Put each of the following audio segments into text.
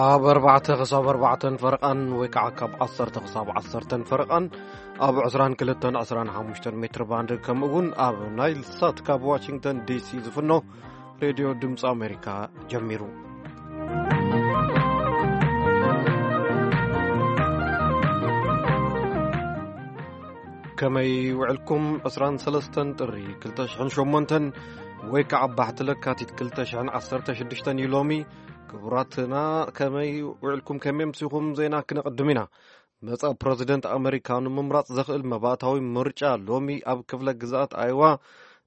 ካብ ኣርባዕተ ክሳብ ኣርባዕተን ፈረቓን ወይ ከዓ ካብ ዓሰርተ ክሳብ ዓሰርተን ፈረቓን ኣብ ዕስራን ክልተን ዕስራን ሓሙሽተን ሜትር ባንድ፣ ከምኡ እውን ኣብ ናይል ሳት ካብ ዋሽንግተን ዲ ሲ ዝፍኖ ሬድዮ ድምፂ ኣሜሪካ ጀሚሩ። ከመይ ውዕልኩም? ዕስራን ሰለስተን ጥሪ ክልተ ሽሕን ሸሞንተን ወይ ከዓ ባሕቲ ለካቲት ክልተ ሽሕን ዓሰርተ ሽዱሽተን እዩ ሎሚ። ክቡራትና፣ ከመይ ውዕልኩም? ከመይ ኣምሲኹም? ዜና ክነቕድም ኢና። መጻኢ ፕረዚደንት ኣመሪካ ንምምራጽ ዘኽእል መባእታዊ ምርጫ ሎሚ ኣብ ክፍለ ግዝኣት ኣይዋ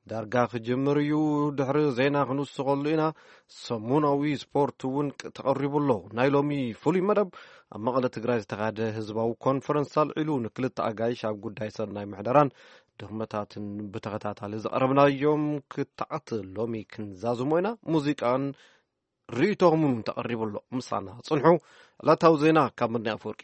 ዳርጋ ክጅምር እዩ። ድሕሪ ዜና ክንውስኸሉ ኢና። ሰሙናዊ ስፖርት እውን ቅ-፣ ተቐሪቡ ኣሎ። ናይ ሎሚ ፍሉይ መደብ ኣብ መቐለ ትግራይ ዝተኻየደ ህዝባዊ ኮንፈረንስ ኣልዒሉ፣ ንክልተ ኣጋይሽ ኣብ ጉዳይ ሰናይ ምሕደራን ድኽመታትን ብተኸታታሊ ዘቐረብናዮም ክትዓት ሎሚ ክንዛዝሞ ኢና። ሙዚቃን ርእይቶኹምን እውን ተቐሪቡ ኣሎ። ምሳና ጽንሑ። ዕለታዊ ዜና ካብ ምድኒ ኣፈወርቂ።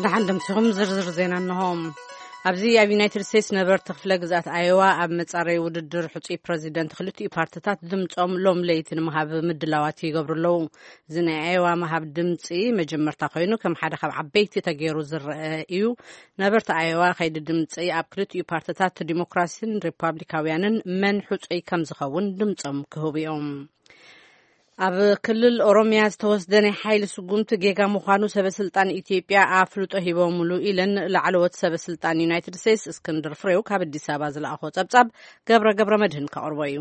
ደሓን ደምሲኹም ዝርዝር ዜና እንሆ። ኣብዚ ኣብ ዩናይትድ ስቴትስ ነበርቲ ክፍለ ግዝኣት ኣዮዋ ኣብ መጻረይ ውድድር ሕጹይ ፕረዚደንት ክልቲኡ ፓርትታት ድምጾም ሎም ለይቲ ንምሃብ ምድላዋት ይገብሩ ኣለዉ። እዚ ናይ ኣዮዋ ምሃብ ድምጺ መጀመርታ ኮይኑ፣ ከም ሓደ ካብ ዓበይቲ ተገይሩ ዝረአ እዩ። ነበርቲ ኣዮዋ ከይዲ ድምጺ ኣብ ክልቲኡ ፓርትታት ዲሞክራሲን ሪፓብሊካውያንን መን ሕጹይ ከም ዝኸውን ድምጾም ክህቡ እዮም። ኣብ ክልል ኦሮሚያ ዝተወስደ ናይ ሓይሊ ስጉምቲ ጌጋ ምዃኑ ሰበ ስልጣን ኢትዮጵያ ኣፍልጦ ሂቦምሉ ኢለን ላዕለዎት ሰበ ስልጣን ዩናይትድ ስቴትስ። እስክንድር ፍሬው ካብ ኣዲስ ኣበባ ዝለኣኾ ጸብጻብ ገብረ ገብረ መድህን ከቕርቦ እዩ።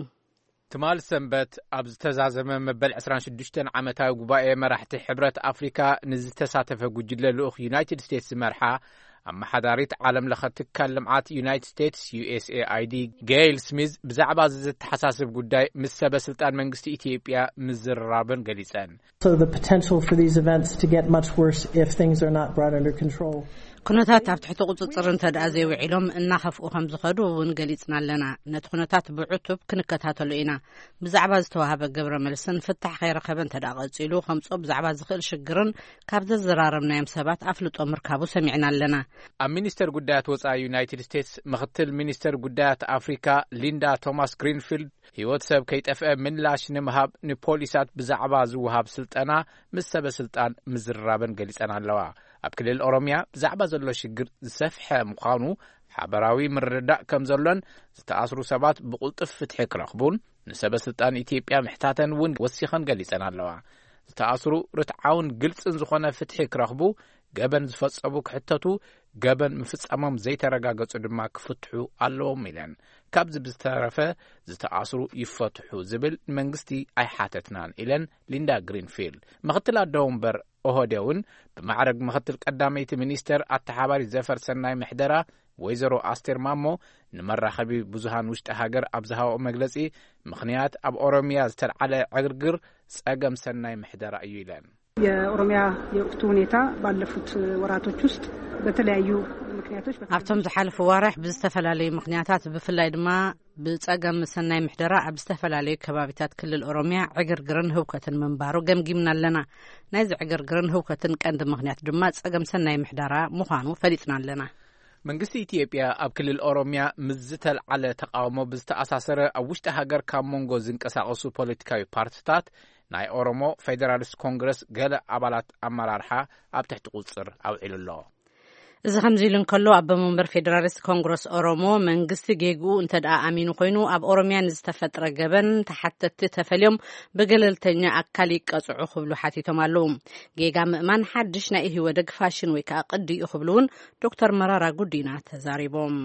ትማል ሰንበት ኣብ ዝተዛዘመ መበል ዕስራን ሽዱሽተን ዓመታዊ ጉባኤ መራሕቲ ሕብረት ኣፍሪካ ንዝተሳተፈ ጉጅለ ልኡኽ ዩናይትድ ስቴትስ ዝመርሓ ኣመሓዳሪት ዓለም ለኸ ትካል ልምዓት ዩናይትድ ስቴትስ፣ ዩ ኤስ ኤ ኣይ ዲ፣ ጌይል ስሚዝ ብዛዕባ እዚ ዘተሓሳስብ ጉዳይ ምስ ሰበ ስልጣን መንግስቲ ኢትዮጵያ ምዝርራበን ገሊጸን። So the potential for these events to get much worse if things are not brought under control. ኩነታት ኣብ ትሕቲ ቁጽጽር እንተ ደኣ ዘይውዒሎም እናኸፍኡ ከም ዝኸዱ እውን ገሊጽና ኣለና። ነቲ ኩነታት ብዕቱብ ክንከታተሎ ኢና። ብዛዕባ ዝተዋህበ ግብረ መልስን ፍታሕ ከይረኸበ እንተ ደኣ ቀጺሉ ከምጽኦ ብዛዕባ ዝኽእል ሽግርን ካብ ዘዘራረብናዮም ሰባት ኣፍልጦ ምርካቡ ሰሚዕና ኣለና። ኣብ ሚኒስተር ጉዳያት ወጻኢ ዩናይትድ ስቴትስ ምኽትል ሚኒስተር ጉዳያት ኣፍሪካ ሊንዳ ቶማስ ግሪንፊልድ፣ ህይወት ሰብ ከይጠፍአ ምላሽ ንምሃብ ንፖሊሳት ብዛዕባ ዝወሃብ ስልጠና ምስ ሰበ ስልጣን ምዝርራበን ገሊጸን ኣለዋ። ኣብ ክልል ኦሮምያ ብዛዕባ ዘሎ ሽግር ዝሰፍሐ ምዃኑ ሓበራዊ ምርድዳእ ከም ዘሎን ዝተኣስሩ ሰባት ብቕልጡፍ ፍትሒ ክረኽቡን ንሰበ ስልጣን ኢትዮጵያ ምሕታተን እውን ወሲኸን ገሊጸን ኣለዋ። ዝተኣስሩ ርትዓውን ግልጽን ዝኾነ ፍትሒ ክረኽቡ፣ ገበን ዝፈጸሙ ክሕተቱ፣ ገበን ምፍጻሞም ዘይተረጋገጹ ድማ ክፍትሑ ኣለዎም ኢለን። ካብዚ ብዝተረፈ ዝተኣስሩ ይፈትሑ ዝብል ንመንግስቲ ኣይሓተትናን ኢለን ሊንዳ ግሪንፊልድ። ምኽትል ኣደ ወንበር ኦህዴ እውን ብማዕረግ ምኽትል ቀዳመይቲ ሚኒስተር ኣተሓባሪ ዘፈር ሰናይ ምሕደራ ወይዘሮ ኣስቴር ማሞ ንመራኸቢ ብዙሃን ውሽጢ ሃገር ኣብ ዝሃበኦ መግለጺ፣ ምኽንያት ኣብ ኦሮምያ ዝተልዓለ ዕግርግር ጸገም ሰናይ ምሕደራ እዩ ኢለን። የኦሮሚያ የወቅቱ ሁኔታ ባለፉት ወራቶች ውስጥ በተለያዩ ምክንያቶች በ- ኣብቶም ዝሓለፉ ዋርሕ ብዝተፈላለዩ ምኽንያታት፣ ብፍላይ ድማ ብጸገም ሰናይ ምሕደራ ኣብ ዝተፈላለዩ ከባቢታት ክልል ኦሮምያ ዕግርግርን ህውከትን ምንባሩ ገምጊምና ኣለና። ናይዚ ዕግርግርን ህውከትን ቀንዲ ምኽንያት ድማ ጸገም ሰናይ ምሕደራ ምዃኑ ፈሊጥና ኣለና። መንግስቲ ኢትዮጵያ ኣብ ክልል ኦሮምያ ምስ ዝተልዓለ ተቃውሞ ብዝተኣሳሰረ ኣብ ውሽጢ ሃገር ካብ መንጎ ዝንቀሳቐሱ ፖለቲካዊ ፓርትታት ናይ ኦሮሞ ፌደራሊስት ኮንግረስ ገለ ኣባላት ኣመራርሓ ኣብ ትሕቲ ቁጽር ኣውዒሉ ኣሎ። እዚ ከምዚ ኢሉ እንከሎ፣ ኣቦ መንበር ፌደራሊስት ኮንግረስ ኦሮሞ መንግስቲ ጌግኡ እንተ ደኣ ኣሚኑ ኮይኑ ኣብ ኦሮምያ ንዝተፈጥረ ገበን ተሓተትቲ ተፈልዮም ብገለልተኛ ኣካል ይቀጽዑ ክብሉ ሓቲቶም ኣለዉ። ጌጋ ምእማን ሓድሽ ናይ ኢህወደግ ፋሽን ወይ ከዓ ቅዲ እዩ ክብሉ እውን ዶክተር መራራ ጉዲና ተዛሪቦም።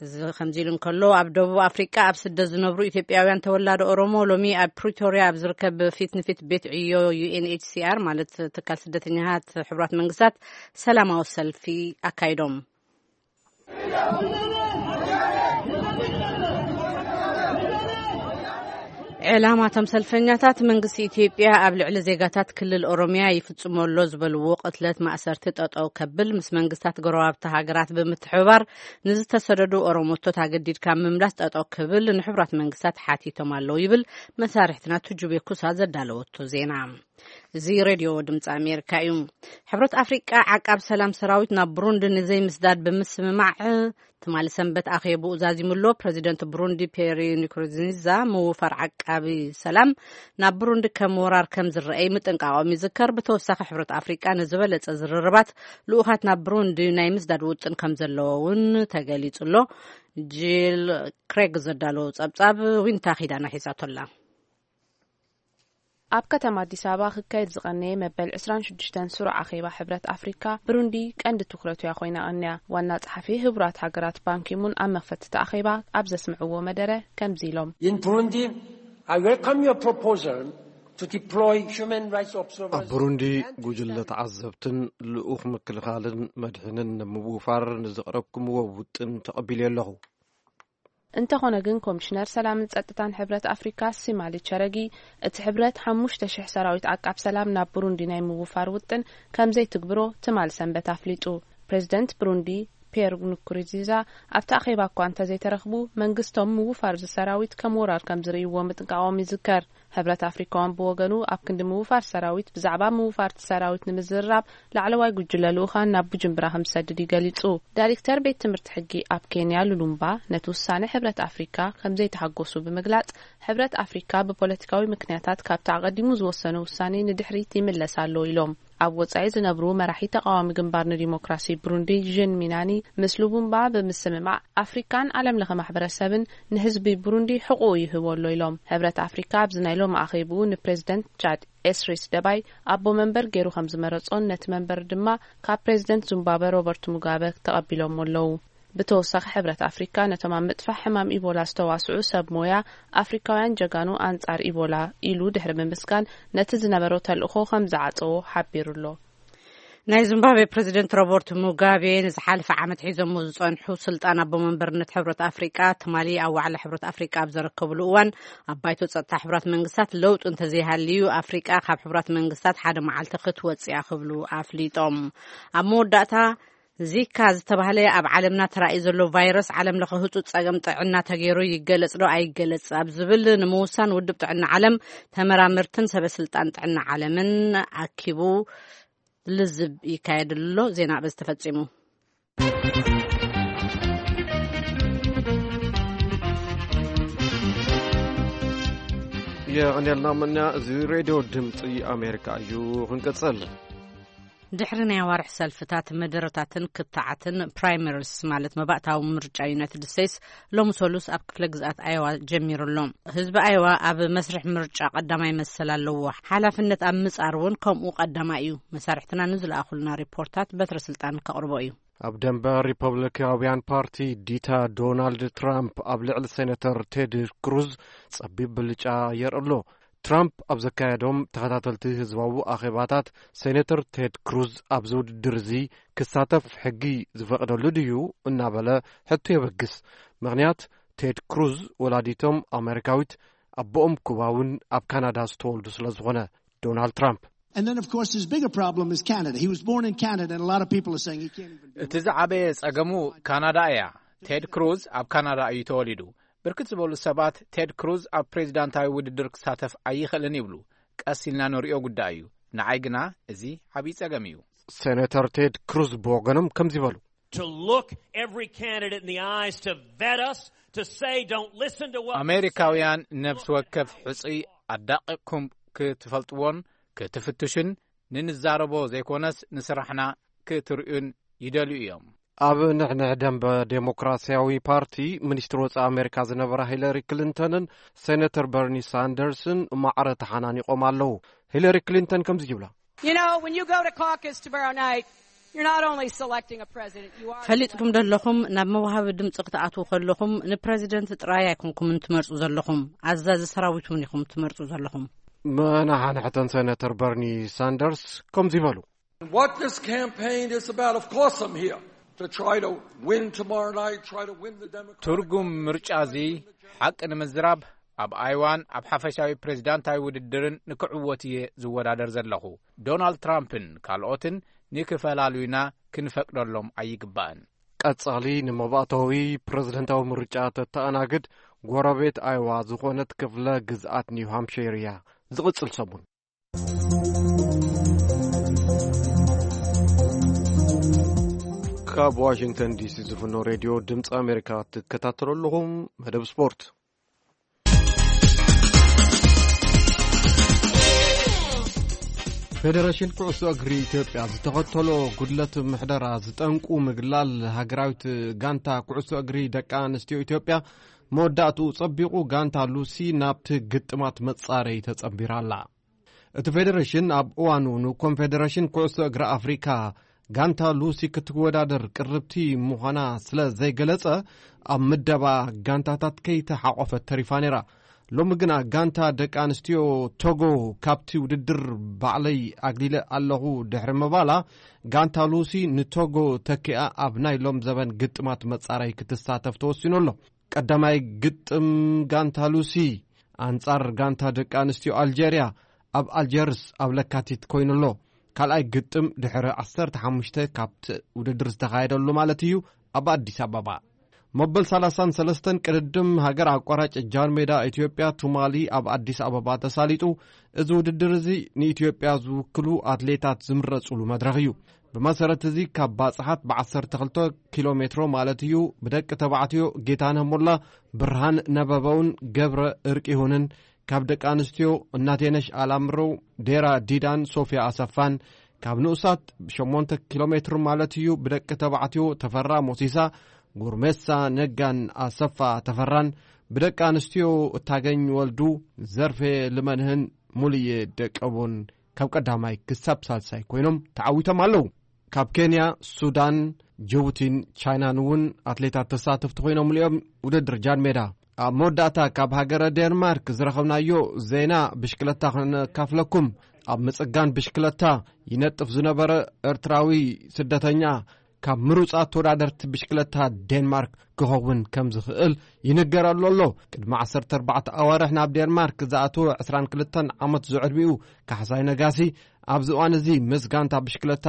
እዚ ከምዚ ኢሉ እንከሎ፣ ኣብ ደቡብ ኣፍሪቃ ኣብ ስደት ዝነብሩ ኢትዮጵያውያን ተወላዶ ኦሮሞ ሎሚ ኣብ ፕሪቶርያ ኣብ ዝርከብ ፊት ንፊት ቤት ዕዮ ዩ ኤን ኤች ሲ ኣር፣ ማለት ትካል ስደተኛታት ሕቡራት መንግስታት፣ ሰላማዊ ሰልፊ ኣካይዶም። ዕላማቶም ሰልፈኛታት መንግስቲ ኢትዮጵያ ኣብ ልዕሊ ዜጋታት ክልል ኦሮምያ ይፍጽሞ ኣሎ ዝበልዎ ቅትለት፣ ማእሰርቲ ጠጠው ከብል፣ ምስ መንግስታት ጎረባብቲ ሃገራት ብምትሕብባር ንዝተሰደዱ ኦሮሞቶት ኣገዲድካ ምምላስ ጠጠው ክብል ንሕቡራት መንግስታት ሓቲቶም ኣለዉ ይብል መሳርሕትና ቱጁቤ ኩሳ ዘዳለወቶ ዜና። እዚ ሬድዮ ድምፂ ኣሜሪካ እዩ። ሕብረት ኣፍሪቃ ዓቃብ ሰላም ሰራዊት ናብ ብሩንዲ ንዘይምስዳድ ብምስምማዕ ትማሊ ሰንበት ኣኼብኡ ዛዚሙሎ። ፕረዚደንት ብሩንዲ ፔሪ ንኩሩንዚዛ ምውፋር ዓቃቢ ሰላም ናብ ብሩንዲ ከም ወራር ከም ዝረአይ ምጥንቃቖም ይዝከር። ብተወሳኺ ሕብረት ኣፍሪቃ ንዝበለጸ ዝርርባት ልኡኻት ናብ ብሩንዲ ናይ ምስዳድ ውጥን ከም ዘለዎ እውን ተገሊጹ ኣሎ። ጂል ክሬግ ዘዳለዎ ጸብጻብ ዊንታ ኪዳና ሒዛቶላ። ኣብ ከተማ ኣዲስ ኣበባ ክካየድ ዝቐነየ መበል ዕስራን ሽዱሽተን ስሩዕ ኣኼባ ሕብረት ኣፍሪካ፣ ብሩንዲ ቀንዲ ትኹረቱ እያ ኮይና ቀንያ። ዋና ጸሓፊ ህቡራት ሃገራት ባንኪሙን ኣብ መኽፈትቲ ኣኼባ ኣብ ዘስምዕዎ መደረ ከምዚ ኢሎም። In Burundi, I welcome your proposal to deploy human rights observers ኣብ ብሩንዲ and ጉጅለ ተዓዘብትን ልኡኽ ምክልኻልን መድሕንን ንምውፋር ንዘቕረብኩምዎ ውጥን ተቐቢለ ኣለኹ። እንተኾነ ግን ኮሚሽነር ሰላምን ጸጥታን ሕብረት ኣፍሪካ ሲማሊ ቸረጊ፣ እቲ ሕብረት ሓሙሽተ ሽሕ ሰራዊት ዓቃብ ሰላም ናብ ብሩንዲ ናይ ምውፋር ውጥን ከም ዘይትግብሮ ትማል ሰንበት ኣፍሊጡ። ፕሬዚደንት ብሩንዲ ፒየር ንኩሩንዚዛ ኣብቲ ኣኼባ እኳ እንተዘይተረኽቡ፣ መንግስቶም ምውፋር እዚ ሰራዊት ከም ወራር ከም ዝርእይዎ ምጥንቃቖም ይዝከር። ሕብረት ኣፍሪካውን ብወገኑ ኣብ ክንዲ ምውፋር ሰራዊት ብዛዕባ ምውፋርቲ ሰራዊት ንምዝርራብ ላዕለዋይ ጉጅለ ልኡኻን ናብ ቡጅምብራ ከም ዝሰድድ እዩ ገሊጹ። ዳይሬክተር ቤት ትምህርቲ ሕጊ ኣብ ኬንያ ሉሉምባ ነቲ ውሳነ ሕብረት ኣፍሪካ ከም ዘይተሃጎሱ ብምግላጽ፣ ሕብረት ኣፍሪካ ብፖለቲካዊ ምክንያታት ካብቲ ኣቐዲሙ ዝወሰነ ውሳኔ ንድሕሪት ይምለስ ኣሎ ኢሎም። ኣብ ወጻኢ ዝነብሩ መራሒ ተቃዋሚ ግንባር ንዲሞክራሲ ብሩንዲ ዥን ሚናኒ ምስ ሉቡምባ ብምስምማዕ ኣፍሪካን ዓለም ለኸ ማሕበረሰብን ንህዝቢ ብሩንዲ ሕቁኡ ይህቦ ኣሎ ኢሎም። ሕብረት ኣፍሪካ ኣብዚ ናይ ሎም ኣኼብኡ ንፕሬዚደንት ቻድ ኤስሪስ ደባይ ኣቦ መንበር ገይሩ ከም ዝመረጾን ነቲ መንበር ድማ ካብ ፕሬዚደንት ዙምባበ ሮበርት ሙጋበ ተቐቢሎሞ ኣለዉ። ብተወሳኺ ሕብረት ኣፍሪካ ነቶም ኣብ ምጥፋሕ ሕማም ኢቦላ ዝተዋስዑ ሰብ ሞያ ኣፍሪካውያን ጀጋኑ ኣንጻር ኢቦላ ኢሉ ድሕሪ ምምስጋን ነቲ ዝነበሮ ተልእኾ ከም ዝዓጸዎ ሓቢሩ ኣሎ። ናይ ዚምባብዌ ፕሬዚደንት ሮበርት ሙጋቤ ንዝሓለፈ ዓመት ሒዞሞ ዝጸንሑ ስልጣን ኣቦ መንበርነት ሕብረት ኣፍሪቃ ትማሊ ኣብ ዋዕላ ሕብረት ኣፍሪቃ ኣብ ዘረከብሉ እዋን፣ ኣብ ባይቶ ጸጥታ ሕብራት መንግስታት ለውጢ እንተዘይሃልዩ ኣፍሪቃ ካብ ሕብራት መንግስታት ሓደ መዓልቲ ክትወጽእ እያ ክብሉ ኣፍሊጦም። ኣብ መወዳእታ፣ ዚካ ዝተባህለ ኣብ ዓለምና ተራእዩ ዘሎ ቫይረስ ዓለም ለኸ ህጹጽ ጸገም ጥዕና ተገይሩ ይገለጽ ዶ ኣይገለጽ ኣብ ዝብል ንምውሳን ውድብ ጥዕና ዓለም ተመራመርትን ሰበ ስልጣን ጥዕና ዓለምን ኣኪቡ ልዝብ ይካየድሉ ኣሎ። ዜና በዚ ተፈጺሙ። የቐንየልና መና፣ እዚ ሬድዮ ድምፂ ኣሜሪካ እዩ። ክንቅፅል። ድሕሪ ናይ ኣዋርሕ ሰልፍታት፣ መደረታትን ክትዓትን፣ ፕራይመሪስ ማለት መባእታዊ ምርጫ ዩናይትድ ስቴትስ ሎም ሰሉስ ኣብ ክፍለ ግዝኣት ኣየዋ ጀሚሩ ኣሎ። ህዝቢ ኣየዋ ኣብ መስርሕ ምርጫ ቀዳማይ መሰል ኣለዎ። ሓላፍነት ኣብ ምጻር እውን ከምኡ ቀዳማይ እዩ። መሳርሕትና ንዝለኣኹልና ሪፖርታት በትረ ስልጣን ከቕርቦ እዩ። ኣብ ደንበ ሪፐብሊካውያን ፓርቲ ዲታ ዶናልድ ትራምፕ ኣብ ልዕሊ ሴነተር ቴድ ክሩዝ ጸቢብ ብልጫ የርኢ ኣሎ። ትራምፕ ኣብ ዘካየዶም ተኸታተልቲ ህዝባዊ ኣኼባታት፣ ሴነተር ቴድ ክሩዝ ኣብዚ ውድድር እዚ ክሳተፍ ሕጊ ዝፈቕደሉ ድዩ እናበለ ሕቶ የበግስ። ምኽንያት፣ ቴድ ክሩዝ ወላዲቶም ኣሜሪካዊት፣ ኣቦኦም ኩባውን ኣብ ካናዳ ዝተወልዱ ስለ ዝኾነ። ዶናልድ ትራምፕ። And then, of course, his bigger problem is Canada. He was born in Canada, and a lot of people are saying he can't even do እቲ ዝዓበየ ጸገሙ ካናዳ እያ። ቴድ ክሩዝ ኣብ ካናዳ እዩ ተወሊዱ። ብርክት ዝበሉ ሰባት ቴድ ክሩዝ ኣብ ፕሬዚዳንታዊ ውድድር ክሳተፍ ኣይኽእልን ይብሉ። ቀስ ኢልና ንሪኦ ጉዳይ እዩ። ንዓይ ግና እዚ ዓብዪ ጸገም እዩ። ሴኔተር ቴድ ክሩዝ ብወገኖም ከምዚ በሉ። To look every candidate in the eyes, to vet us, to say, "Don't listen to what we say." ኣሜሪካውያን ነፍሲ ወከፍ ሕጹይ ኣዳቂቕኩም ክትፈልጥዎን ክትፍትሹን፣ ንንዛረቦ ዘይኮነስ ንስራሕና ክትርእዩን ይደልዩ እዮም። ኣብ ንሕንሕ ደንበ ዴሞክራሲያዊ ፓርቲ፣ ሚኒስትር ወጻኢ ኣሜሪካ ዝነበራ ሂለሪ ክሊንተንን ሴኔተር በርኒ ሳንደርስን ማዕረ ተሓናኒቖም ኣለዉ። ሂለሪ ክሊንተን ከምዚ ይብላ። You know, when you go to caucus tomorrow night, you're not only selecting a president, you are ፈሊጥኩም ዘለኹም፣ ናብ መዋሃቢ ድምፂ ክትኣትዉ ከለኹም ንፕረዚደንት ጥራይ ኣይኮንኩምን ትመርፁ ዘለኹም፣ ኣዛዚ ሰራዊት እውን ኢኹም ትመርፁ ዘለኹም። መናሓንሕተን ሴኔተር በርኒ ሳንደርስ ከምዚ በሉ። What this campaign is about, of course I'm here to try to win tomorrow night, try to win the Democratic ትርጉም ምርጫ እዚ ሓቂ ንምዝራብ፣ ኣብ ኣይዋን ኣብ ሓፈሻዊ ፕሬዚዳንታዊ ውድድርን ንክዕወት እየ ዝወዳደር ዘለኹ። ዶናልድ ትራምፕን ካልኦትን ንክፈላሉዩና ክንፈቅደሎም ኣይግባእን። ቀጻሊ ንመባእታዊ ፕረዚደንታዊ ምርጫ ተተኣናግድ ጎረቤት ኣይዋ ዝኾነት ክፍለ ግዝኣት ኒው ሃምፕሸር እያ። ዝቕጽል ሰሙን። ካብ ዋሽንግተን ዲሲ ዝፍኖ ሬድዮ ድምፂ ኣሜሪካ ትከታተሉ ኣለኹም። መደብ ስፖርት። ፌደሬሽን ኩዕሶ እግሪ ኢትዮጵያ ዝተኸተሎ ጉድለት ምሕደራ ዝጠንቁ ምግላል ሃገራዊት ጋንታ ኩዕሶ እግሪ ደቂ ኣንስትዮ ኢትዮጵያ መወዳእትኡ ጸቢቑ፣ ጋንታ ሉሲ ናብቲ ግጥማት መጻረይ ተጸንቢራ ኣላ። እቲ ፌደሬሽን ኣብ እዋኑ ንኮንፌደሬሽን ኩዕሶ እግሪ ኣፍሪካ ጋንታ ሉሲ ክትወዳደር ቅርብቲ ምዃና ስለ ዘይገለጸ፣ ኣብ ምደባ ጋንታታት ከይተሓቆፈት ተሪፋ ነይራ። ሎሚ ግና ጋንታ ደቂ ኣንስትዮ ቶጎ ካብቲ ውድድር ባዕለይ ኣግሊለ ኣለኹ ድሕሪ ምባላ፣ ጋንታ ሉሲ ንቶጎ ተኪኣ ኣብ ናይ ሎም ዘበን ግጥማት መጻረይ ክትሳተፍ ተወሲኑ ኣሎ። ቀዳማይ ግጥም ጋንታ ሉሲ ኣንጻር ጋንታ ደቂ ኣንስትዮ ኣልጀርያ ኣብ ኣልጀርስ ኣብ ለካቲት ኮይኑ ኣሎ። ካልኣይ ግጥም ድሕሪ ዓሰርተ ሓሙሽተ ካብቲ ውድድር ዝተኻየደሉ ማለት እዩ፣ ኣብ ኣዲስ ኣበባ። መበል ሰላሳን ሰለስተን ቅድድም ሃገር ኣቋራጭ ጃን ሜዳ ኢትዮጵያ ቱማሊ ኣብ ኣዲስ ኣበባ ተሳሊጡ። እዚ ውድድር እዚ ንኢትዮጵያ ዝውክሉ ኣትሌታት ዝምረጹሉ መድረኽ እዩ። ብመሰረት እዚ ካብ ባጽሓት ብ ዓሰርተ ክልተ ኪሎ ሜትሮ ማለት እዩ ብደቂ ተባዕትዮ ጌታነህ ሞላ፣ ብርሃን ነበበውን ገብረ እርቅ ይሁንን፣ ካብ ደቂ ኣንስትዮ እናቴነሽ ኣላምረው፣ ዴራ ዲዳን ሶፊያ ኣሰፋን፣ ካብ ንኡሳት ሸሞንተ ኪሎ ሜትር ማለት እዩ ብደቂ ተባዕትዮ ተፈራ ሞሲሳ፣ ጉርሜሳ ነጋን ኣሰፋ ተፈራን፣ ብደቂ ኣንስትዮ እታገኝ ወልዱ፣ ዘርፌ ልመንህን ሙሉየ ደቀቦን ካብ ቀዳማይ ክሳብ ሳልሳይ ኮይኖም ተዓዊቶም ኣለዉ። ካብ ኬንያ፣ ሱዳን፣ ጅቡቲን ቻይናን እውን ኣትሌታት ተሳተፍቲ ኮይኖም እዮም ውድድር ጃን ሜዳ። ኣብ መወዳእታ ካብ ሃገረ ዴንማርክ ዝረኸብናዮ ዜና ብሽክለታ ከነካፍለኩም። ኣብ ምጽጋን ብሽክለታ ይነጥፍ ዝነበረ ኤርትራዊ ስደተኛ ካብ ምሩጻት ተወዳደርቲ ብሽክለታ ዴንማርክ ክኸውን ከም ዝኽእል ይንገረሉ ኣሎ። ቅድሚ ዓሰርተ ኣርባዕተ ኣዋርሕ ናብ ዴንማርክ ዝኣተወ ዕስራን ክልተን ዓመት ዝዕድሚኡ ካሕሳይ ነጋሲ ኣብዚ እዋን እዚ ምስ ጋንታ ብሽክለታ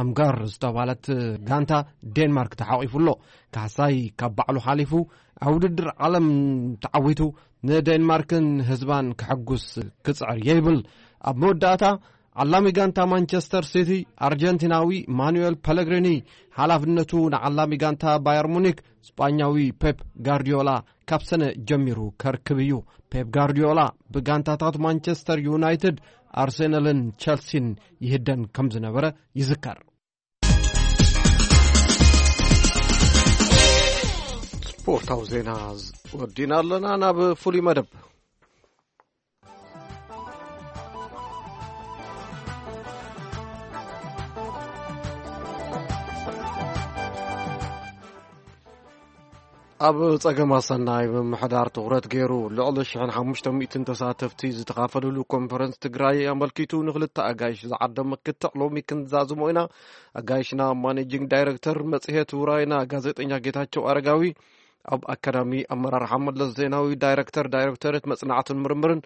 ኣምጋር ዝተባህለት ጋንታ ዴንማርክ ተሓቒፉ ኣሎ። ካሕሳይ ካብ ባዕሉ ሓሊፉ ኣብ ውድድር ዓለም ተዓዊቱ ንዴንማርክን ህዝባን ከሐጉስ ክጽዕር የይብል። ኣብ መወዳእታ ዓላሚ ጋንታ ማንቸስተር ሲቲ ኣርጀንቲናዊ ማኑኤል ፐለግሪኒ ሓላፍነቱ ንዓላሚ ጋንታ ባየር ሙኒክ ስጳኛዊ ፔፕ ጋርዲዮላ ካብ ሰነ ጀሚሩ ከርክብ እዩ። ፔፕ ጋርዲዮላ ብጋንታታት ማንቸስተር ዩናይትድ፣ ኣርሴናልን ቸልሲን ይህደን ከም ዝነበረ ይዝከር። ስፖርታዊ ዜና ወዲና ኣለና። ናብ ፍሉይ መደብ። ኣብ ጸገም ኣሰናይ ምምሕዳር ትኹረት ገይሩ፣ ልዕሊ ሽሕን ሓሙሽተ ሚእትን ተሳተፍቲ ዝተኻፈሉሉ ኮንፈረንስ ትግራይ ኣመልኪቱ ንኽልተ ኣጋይሽ ዝዓደመ ክትዕ ሎሚ ክንዛዝሞ ኢና። ኣጋይሽና ማኔጂንግ ዳይሬክተር መጽሔት ውራይና ጋዜጠኛ ጌታቸው ኣረጋዊ፣ ኣብ ኣካዳሚ ኣመራርሓ መለስ ዜናዊ ዳይሬክተር ዳይሬክቶሬት መጽናዕትን ምርምርን